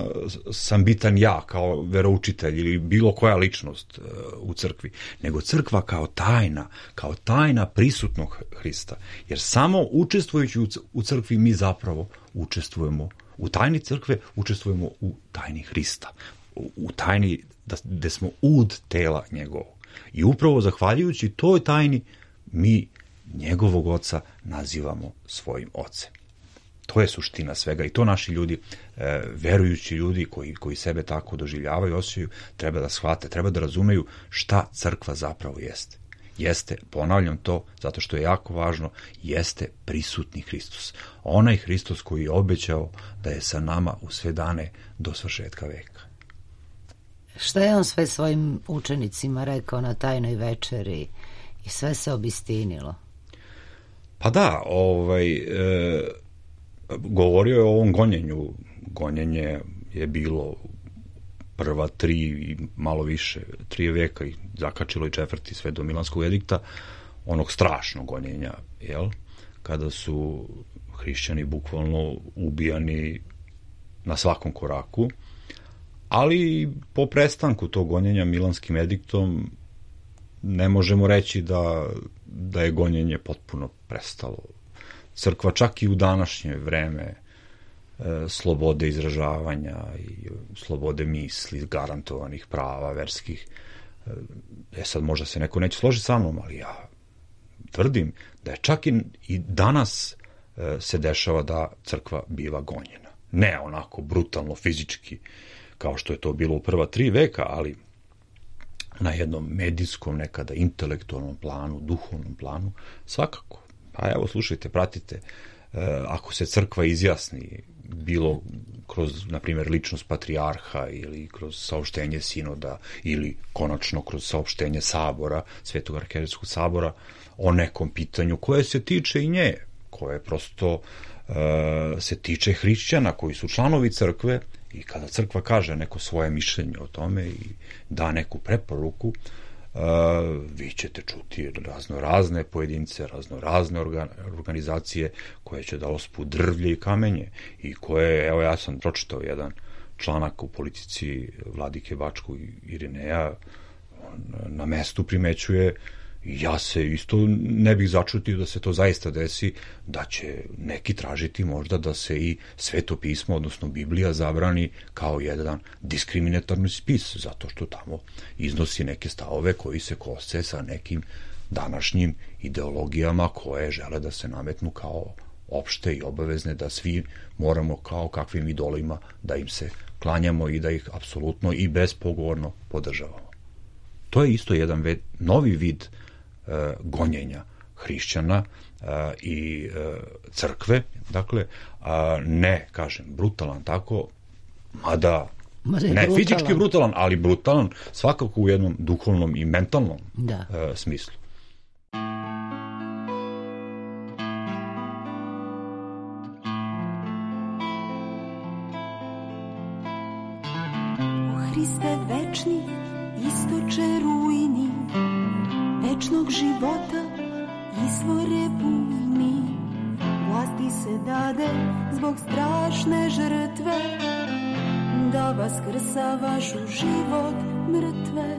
sam bitan ja kao veroučitelj ili bilo koja ličnost e, u crkvi, nego crkva kao tajna, kao tajna prisutnog Hrista. Jer samo učestvujući u, u crkvi mi zapravo učestvujemo u tajni crkve, učestvujemo u tajni Hrista, u, u tajni da, gde smo ud tela njegovog. I upravo zahvaljujući toj tajni mi njegovog oca nazivamo svojim ocem. To je suština svega i to naši ljudi, e, verujući ljudi koji, koji sebe tako doživljavaju, osjećaju, treba da shvate, treba da razumeju šta crkva zapravo jeste. Jeste, ponavljam to, zato što je jako važno, jeste prisutni Hristos. Onaj Hristos koji je obećao da je sa nama u sve dane do svršetka veka. Šta je on sve svojim učenicima rekao na tajnoj večeri i sve se obistinilo? Pa da, ovaj, e, govorio je o ovom gonjenju. Gonjenje je bilo prva tri i malo više, tri veka i zakačilo i četvrti sve do Milanskog edikta, onog strašnog gonjenja, jel? Kada su hrišćani bukvalno ubijani na svakom koraku, ali po prestanku tog gonjenja Milanskim ediktom ne možemo reći da, da je gonjenje potpuno prestalo. Crkva čak i u današnje vreme slobode izražavanja i slobode misli, garantovanih prava verskih. E sad možda se neko neće složiti sa mnom, ali ja tvrdim da je čak i, i danas e, se dešava da crkva biva gonjena. Ne onako brutalno, fizički, kao što je to bilo u prva tri veka, ali na jednom medijskom, nekada intelektualnom planu, duhovnom planu, svakako. Pa evo, slušajte, pratite, e, ako se crkva izjasni, bilo kroz, na primjer, ličnost patrijarha ili kroz saopštenje sinoda ili konačno kroz saopštenje sabora, Svetog arhijerejskog sabora, o nekom pitanju koje se tiče i nje, koje prosto e, se tiče hrišćana koji su članovi crkve, i kada crkva kaže neko svoje mišljenje o tome i da neku preporuku, Uh, vi ćete čuti razno razne pojedince, razno razne organ, organizacije koje će da ospu drvlje i kamenje i koje, evo ja sam pročitao jedan članak u Politici vladike Bačkog Irineja, on na mestu primećuje, ja se isto ne bih začutio da se to zaista desi, da će neki tražiti možda da se i Sveto pismo, odnosno Biblija, zabrani kao jedan diskriminatorni spis, zato što tamo iznosi neke stavove koji se kose sa nekim današnjim ideologijama koje žele da se nametnu kao opšte i obavezne, da svi moramo kao kakvim idolima da im se klanjamo i da ih apsolutno i bespogovorno podržavamo. To je isto jedan ved, novi vid gonjenja hrišćana i crkve, dakle, ne, kažem, brutalan tako, mada ne brutalan. Fizički brutalan, ali brutalan svakako u jednom duhovnom i mentalnom da. smislu. O Hriste večni, istoče rujni, večnog života, izvore bujni, vlasti se dade zbog strašne žrtve, da vaskrsavaš u život mrtve.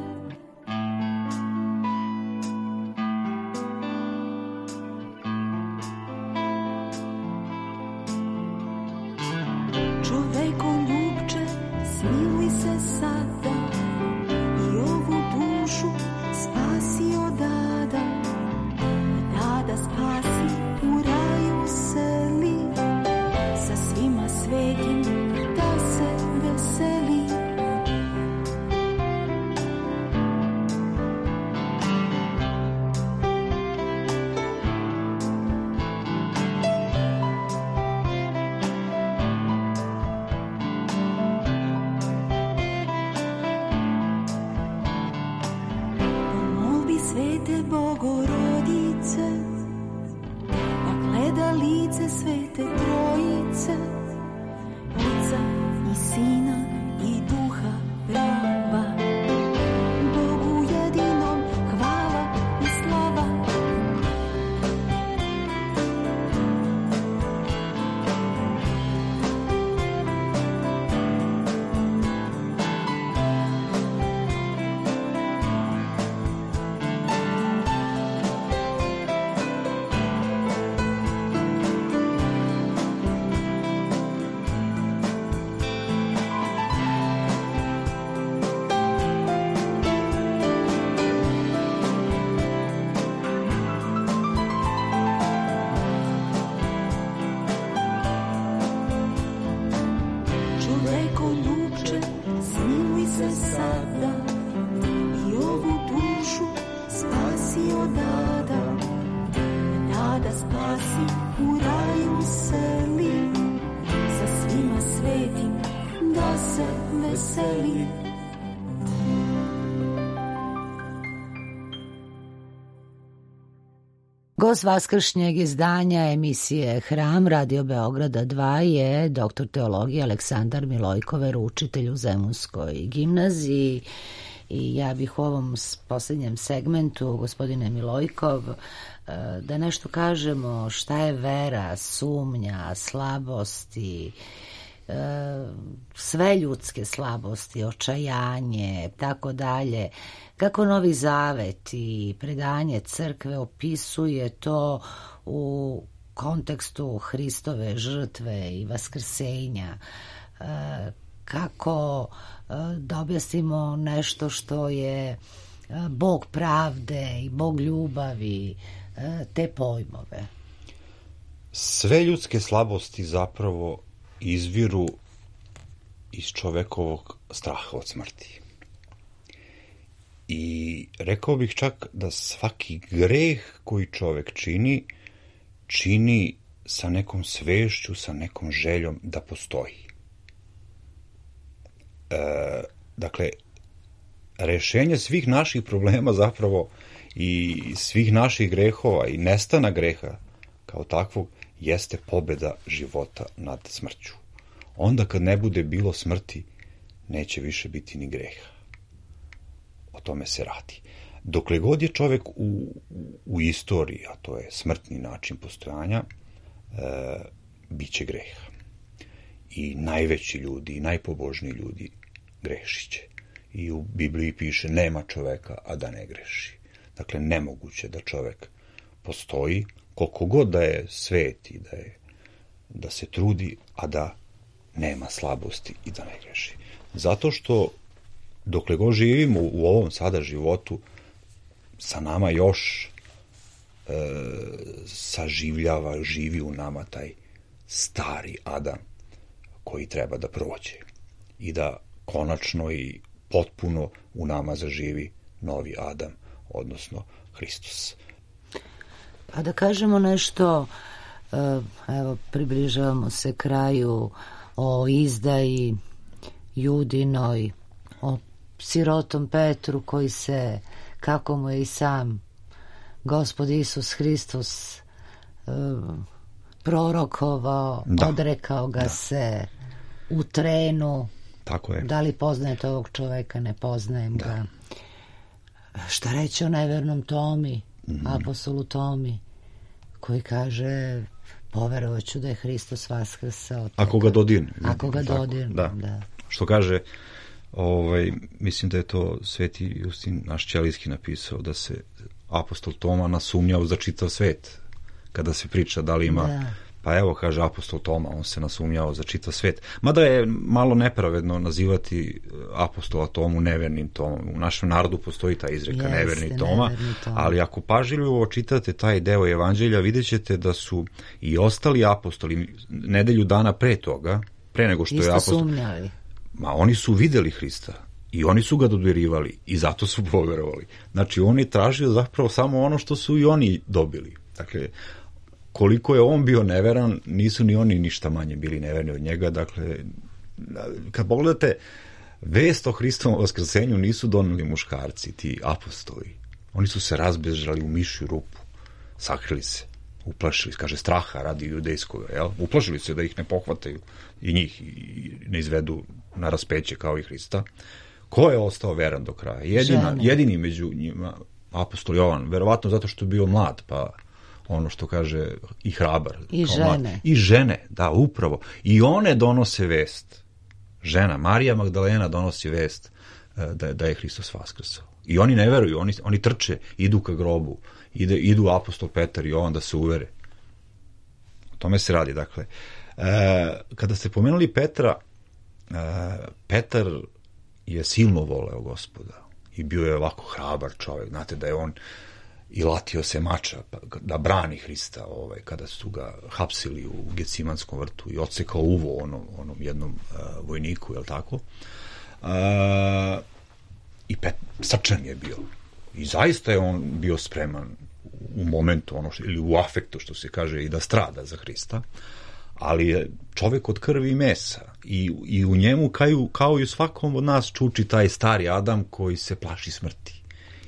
Čoveko ljubče, smiluj se sada i ovu dušu spasi od ada, od ada spasi, u raju seli, sa svima svetim da se veseli. Svete Bogorodice, da gleda lice Svete Trojice, Oca i Sina i Duha prava. Bogu jedinom hvala i slava. Čoveko ljubče, smiluj se sada i ovu dušu spasi od ada, od ada spasi, u raju seli, sa svima svetim da se veseli. Gost vaskršnjeg izdanja emisije Hram Radio Beograda dva je doktor teologije Aleksandar Milojkover, učitelj u Zemunskoj gimnaziji. I ja bih u ovom posljednjem segmentu, gospodine Milojkov, da nešto kažemo šta je vera, sumnja, slabosti, sve ljudske slabosti, očajanje, tako dalje. Kako Novi Zavet i predanje crkve opisuje to u kontekstu Hristove žrtve i vaskrsenja, kako da objasnimo nešto što je Bog pravde i Bog ljubavi, te pojmove? Sve ljudske slabosti zapravo izviru iz čovekovog straha od smrti. I rekao bih čak da svaki greh koji čovek čini, čini sa nekom svešću, sa nekom željom da postoji. E, dakle, rešenje svih naših problema zapravo i svih naših grehova i nestana greha kao takvog jeste pobeda života nad smrću. Onda kad ne bude bilo smrti, neće više biti ni greha. O tome se radi. Dokle god je čovek u, u istoriji, a to je smrtni način postojanja, e, bit će greha. I najveći ljudi, i najpobožniji ljudi grešiće. I u Bibliji piše, nema čoveka, a da ne greši. Dakle, nemoguće da čovek postoji, koliko god da je svet i da, je, da se trudi, a da nema slabosti i da ne greši. Zato što dokle god živimo u ovom sada životu, sa nama još e, saživljava, živi u nama taj stari Adam koji treba da prođe i da konačno i potpuno u nama zaživi novi Adam, odnosno Hristos. Pa da kažemo nešto, evo, približavamo se kraju, o izdaji Judinoj, o sirotom Petru koji se, kako mu je i sam Gospod Isus Hristos prorokovao, da. Odrekao ga da. se u trenu. Tako je. Da li poznajete ovog čoveka? Ne poznajem da. ga. Šta reći o nevernom Tomi, mm-hmm. apostolu Tomi, koji kaže, poverovaću da je Hristos vaskrsao. Ako ga dodirne. Ako ga dodirne, da. da. Što kaže, ovaj, mislim da je to Sveti Justin naš Ćelijski napisao, da se apostol Toma nasumnjao za čitav svet. Kada se priča da li ima... Da. Pa evo, kaže apostol Toma, on se nasumnjao za čitav svet. Mada je malo nepravedno nazivati apostola Tomu nevernim Tomom. U našem narodu postoji ta izreka, Jeste, neverni Toma, neverni Toma, ali ako pažljivo čitate taj deo evanđelja, vidjet ćete da su i ostali apostoli nedelju dana pre toga, pre nego što Isto je apostol... sumnjali. Ma oni su videli Hrista i oni su ga dodirivali i zato su poverovali. Znači, on je tražio zapravo samo ono što su i oni dobili. Dakle, koliko je on bio neveran, nisu ni oni ništa manje bili neverni od njega. Dakle, kad pogledate, vest o Hristovom vaskrsenju nisu doneli muškarci, ti apostoli. Oni su se razbežali u mišju rupu, sakrili se, uplašili, kaže straha radi judejskog, jel? Uplašili se da ih ne pohvataju i njih i ne izvedu na raspeće kao i Hrista. Ko je ostao veran do kraja? Jedina, jedini među njima apostol Jovan, verovatno zato što je bio mlad, pa ono što kaže i hrabar. I žene. Mlad. I žene, da, upravo. I one donose vest. Žena, Marija Magdalena donosi vest da, da je Hristos vaskrsao. I oni ne veruju, oni, oni trče, idu ka grobu, ide, idu apostol Petar i Jovan da se uvere. O tome se radi, dakle. E, kada ste pomenuli Petra, e, Petar je silno voleo Gospoda i bio je ovako hrabar čovjek. Znate da je on i latio se mača da brani Hrista ovaj, kada su ga hapsili u Gecimanskom vrtu i odsekao uvo onom, onom jednom uh, vojniku, je li tako? Uh, I pet, srčan je bio. I zaista je on bio spreman u momentu, ono što, ili u afektu, što se kaže, i da strada za Hrista, ali je čovjek od krvi i mesa. I, i u njemu, kao, kao i u svakom od nas, čuči taj stari Adam koji se plaši smrti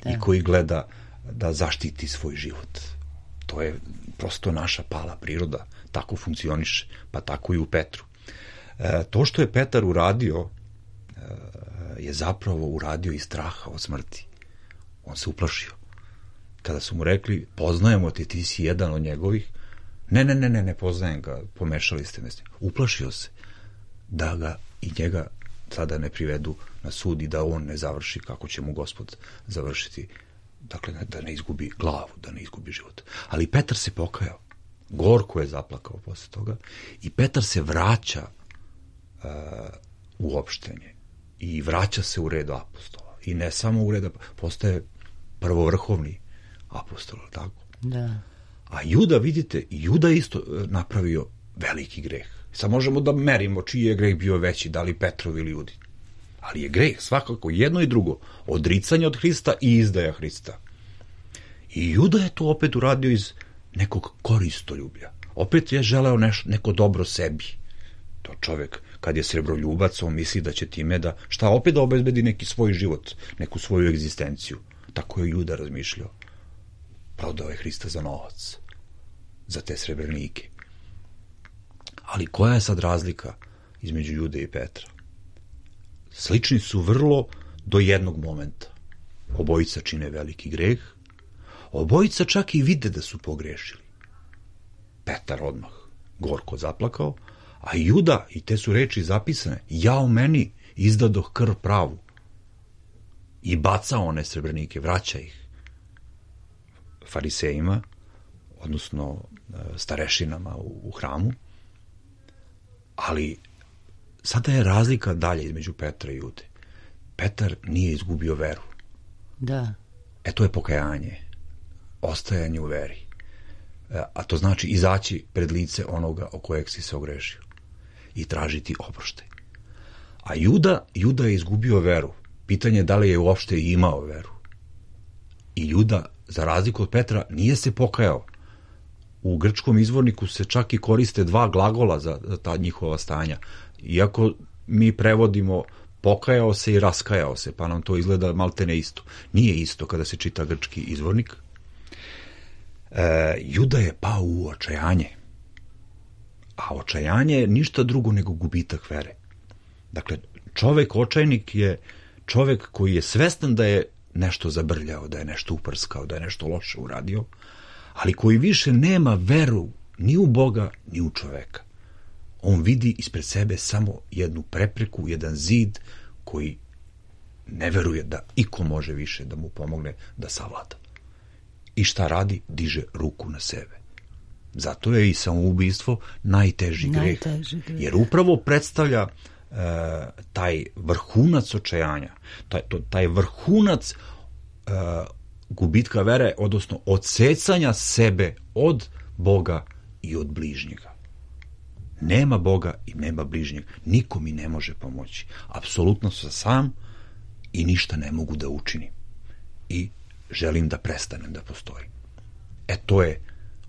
da. I koji gleda da zaštiti svoj život. To je prosto naša pala priroda, tako funkcioniše, pa tako i u Petru. E, to što je Petar uradio, e, je zapravo uradio iz straha od smrti. On se uplašio. Kada su mu rekli, poznajemo te, ti si jedan od njegovih, ne, ne, ne, ne, ne poznajem ga, pomešali ste me s njim. Uplašio se da ga i njega sada ne privedu na sud i da on ne završi kako će mu Gospod završiti. Dakle, da ne izgubi glavu, da ne izgubi život. Ali Petar se pokajao. gorko je zaplakao posle toga i Petar se vraća uh, u opštenje i vraća se u red apostola. I ne samo u red, postaje prvovrhovni apostol, tako? Da. A Juda, vidite, Juda isto napravio veliki greh. Sad možemo da merimo čiji je greh bio veći, da li Petrov ili Judin. Ali je greh svakako jedno i drugo. Odricanje od Hrista i izdaja Hrista. I Juda je to opet uradio iz nekog koristoljublja. Opet je želeo neš, neko dobro sebi. To čovek, kad je srebroljubac, on misli da će time da, šta, opet da obezbedi neki svoj život, neku svoju egzistenciju. Tako je Juda razmišljao. Prodao je Hrista za novac, za te srebrnike. Ali koja je sad razlika između Jude i Petra? Slični su vrlo do jednog momenta. Obojica čine veliki greh, obojica čak i vide da su pogrešili. Petar odmah gorko zaplakao, a Juda, i te su reči zapisane, jao meni, izdadoh krv pravu. I bacao one srebrnike, vraća ih farisejima, odnosno starešinama u, u hramu. Ali sada je razlika dalje između Petra i Jude. Petar nije izgubio veru. Da. E to je pokajanje, ostajanje u veri. A to znači izaći pred lice onoga o kojeg si se ogrešio i tražiti oproštaj. A Juda, Juda je izgubio veru. Pitanje je da li je uopšte imao veru. I Juda, za razliku od Petra, nije se pokajao. U grčkom izvorniku se čak i koriste dva glagola za, za ta njihova stanja. Iako mi prevodimo pokajao se i raskajao se, pa nam to izgleda maltene isto. Nije isto kada se čita grčki izvornik. E, Juda je pao u očajanje. A očajanje je ništa drugo nego gubitak vere. Dakle, čovek očajnik je čovek koji je svestan da je nešto zabrljao, da je nešto uprskao, da je nešto loše uradio, ali koji više nema veru ni u Boga, ni u čoveka. On vidi ispred sebe samo jednu prepreku, jedan zid koji ne veruje da iko može više da mu pomogne da savlada. I šta radi? Diže ruku na sebe. Zato je i samoubistvo najteži greh. Najteži greh. Jer upravo predstavlja e, taj vrhunac očajanja, taj, to, taj vrhunac e, gubitka vere, odnosno odsecanja sebe od Boga i od bližnjega. Nema Boga i nema bližnjeg. Niko mi ne može pomoći. Apsolutno sam sam i ništa ne mogu da učinim. I želim da prestanem da postojim. E to je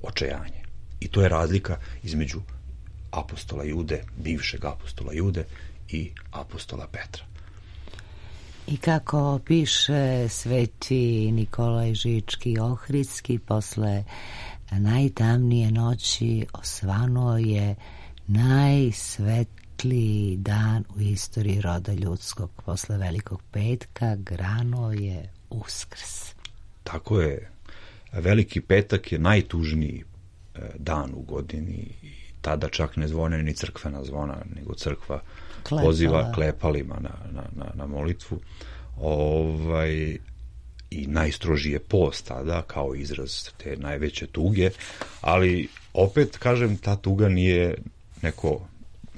očajanje. I to je razlika između apostola Jude, bivšeg apostola Jude i apostola Petra. I kako piše sveti Nikolaj Žički Ohridski, posle najtamnije noći osvanuo je najsvetliji dan u istoriji roda ljudskog. Posle Velikog petka granuo je Uskrs. Tako je. Veliki petak je najtužniji dan u godini i tada čak ne zvone ni crkvena zvona, nego crkva Klepala. Poziva klepalima na, na, na, na molitvu. Ovaj, i najstrožiji je post tada kao izraz te najveće tuge, ali opet kažem, ta tuga nije neko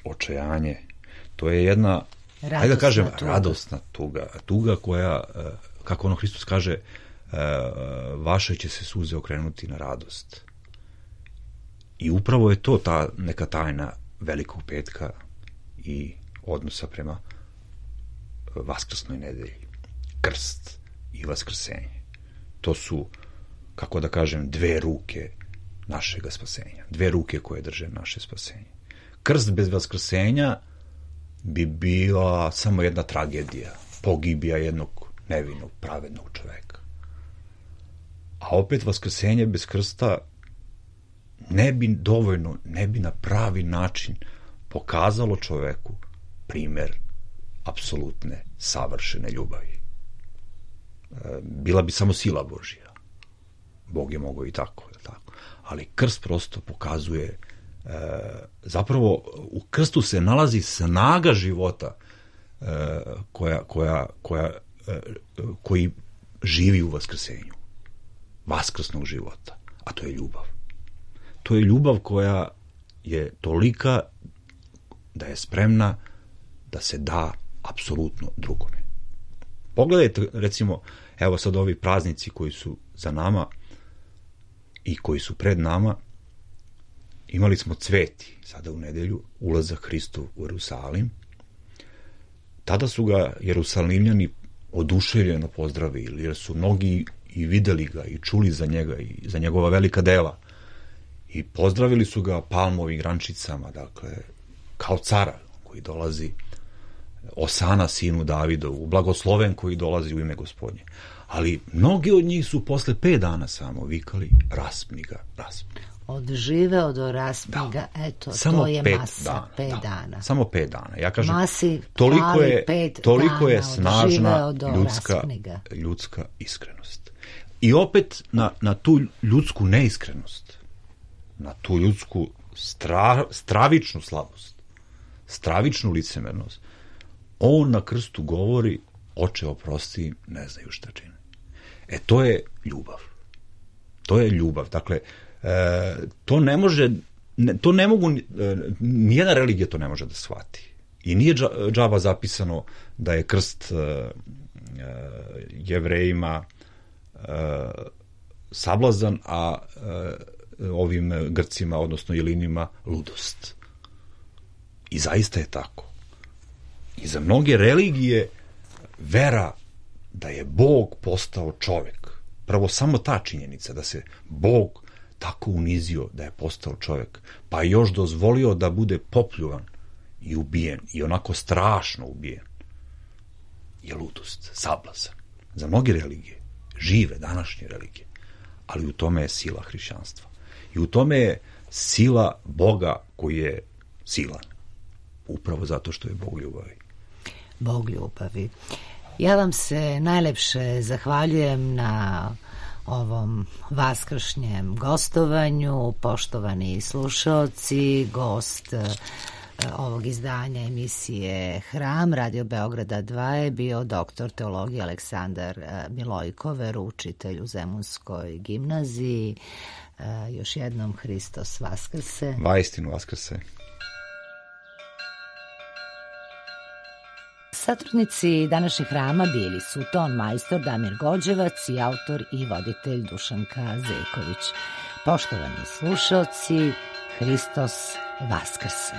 očajanje, to je jedna radosna, ajde da kažem, tuga. radosna tuga, tuga koja, kako ono Hristos kaže, vaše će se suze okrenuti na radost. I upravo je to ta neka tajna Velikog petka i odnosa prema vaskrsnoj nedelji. Krst i vaskrsenje. To su, kako da kažem, dve ruke našega spasenja. Dve ruke koje drže naše spasenje. Krst bez vaskrsenja bi bila samo jedna tragedija, pogibija jednog nevinog, pravednog čoveka. A opet vaskrsenje bez krsta ne bi dovoljno, ne bi na pravi način pokazalo čoveku primer apsolutne, savršene ljubavi. Bila bi samo sila Božja. Bog je mogao i tako, tako. Ali krst prosto pokazuje, zapravo u krstu se nalazi snaga života koja, koja, koja, koji živi u vaskrsenju. Vaskrsnog života. A to je ljubav. To to je ljubav koja je tolika da je spremna da se da apsolutno drugome. Pogledajte, recimo, evo sad ovi praznici koji su za nama i koji su pred nama. Imali smo cveti, sada u nedelju, ulazak Hristov u Jerusalim. Tada su ga Jerusalimljani oduševljeno pozdravili, jer su mnogi i videli ga i čuli za njega i za njegova velika dela. I pozdravili su ga palmovim grančicama, dakle, kao cara koji dolazi, Osana sinu Davidovu, blagosloven koji dolazi u ime Gospodnje. Ali mnogi od njih su posle pet dana samo vikali raspni ga, raspni. Odživeo do raspni ga, eto, samo to je pet masa, dana, pet da. dana. Samo pet dana. Ja kažem, Masi toliko je, pet toliko dana, je snažna ljudska, ga. ljudska iskrenost. I opet na, na tu ljudsku neiskrenost, na tu ljudsku stra, stravičnu slabost, stravičnu licemernost, on na krstu govori, oče oprosti, ne znaju šta čine. E, to je ljubav. To je ljubav. Dakle, e, to ne može, ne, to ne mogu, e, nijedna religija to ne može da shvati. I nije džaba zapisano da je krst e, e, Jevrejima e, sablazan, a e, ovim Grcima, odnosno Jelinima, ludost. I zaista je tako. I za mnoge religije vera da je Bog postao čovek, prvo samo ta činjenica da se Bog tako unizio da je postao čovek, pa još dozvolio da bude popljuvan i ubijen, i onako strašno ubijen, je ludost, sablazan. Za mnoge religije, žive današnje religije, ali u tome je sila hrišćanstva. I u tome je sila Boga koji je silan. Upravo zato što je Bog ljubavi. Bog ljubavi. Ja vam se najlepše zahvaljujem na ovom vaskršnjem gostovanju, poštovani slušaoci. Gost ovog izdanja emisije Hram Radio Beograda dva je bio doktor teologije Aleksandar Milojko, veroučitelj u Zemunskoj gimnaziji. Još jednom Hristos Vaskrse. Vaistinu Vaskrse. Satrudnici današnjeg Hrama bili su ton majstor Damir Gođevac i autor i voditelj Dušanka Zejković. Poštovani slušaoci, Hristos Vaskrse.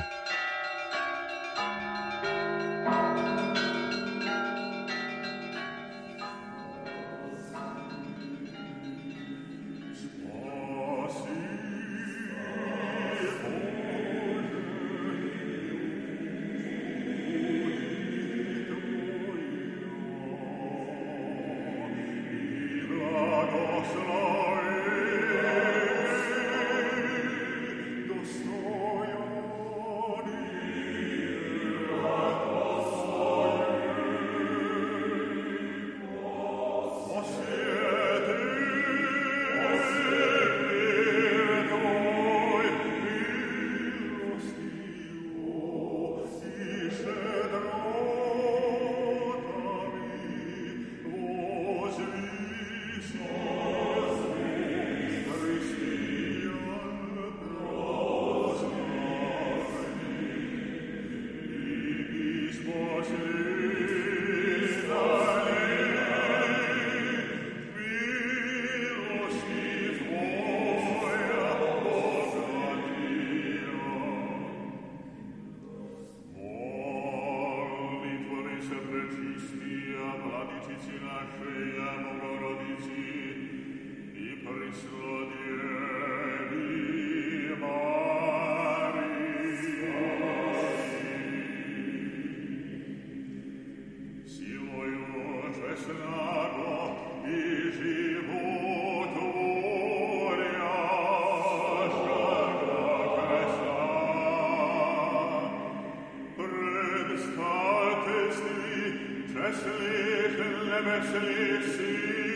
Hässlichen, hässlichen,